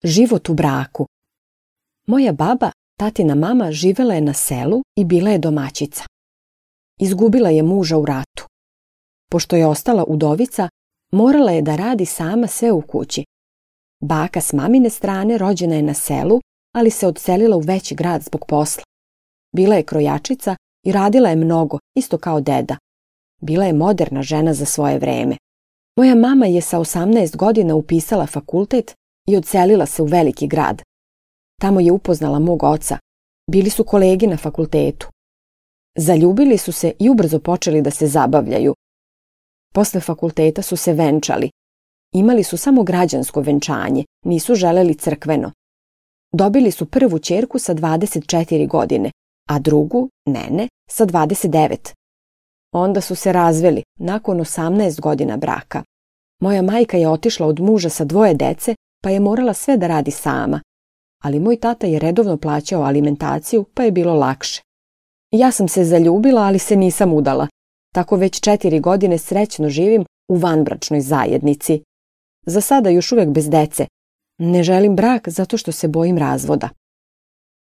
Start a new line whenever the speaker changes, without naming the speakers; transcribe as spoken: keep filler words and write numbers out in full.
Život u braku. Moja baba, tatina mama, živela je na selu i bila je domaćica. Izgubila je muža u ratu. Pošto je ostala udovica, morala je da radi sama sve u kući. Baka s mamine strane rođena je na selu, ali se odselila u veći grad zbog posla. Bila je krojačica i radila je mnogo, isto kao deda. Bila je moderna žena za svoje vreme. Moja mama je sa osamnaest godina upisala fakultet i odselila se u veliki grad. Tamo je upoznala mog oca. Bili su kolegi na fakultetu. Zaljubili su se i ubrzo počeli da se zabavljaju. Posle fakulteta su se venčali. Imali su samo građansko venčanje, nisu želeli crkveno. Dobili su prvu ćerku sa dvadeset četiri godine, a drugu, Nene, sa dvadeset devet. Onda su se razveli, nakon osamnaest godina braka. Moja majka je otišla od muža sa dvoje dece, pa je morala sve da radi sama. Ali moj tata je redovno plaćao alimentaciju, pa je bilo lakše. Ja sam se zaljubila, ali se nisam udala. Tako već četiri godine srećno živim u vanbračnoj zajednici. Za sada još uvijek bez dece. Ne želim brak zato što se bojim razvoda.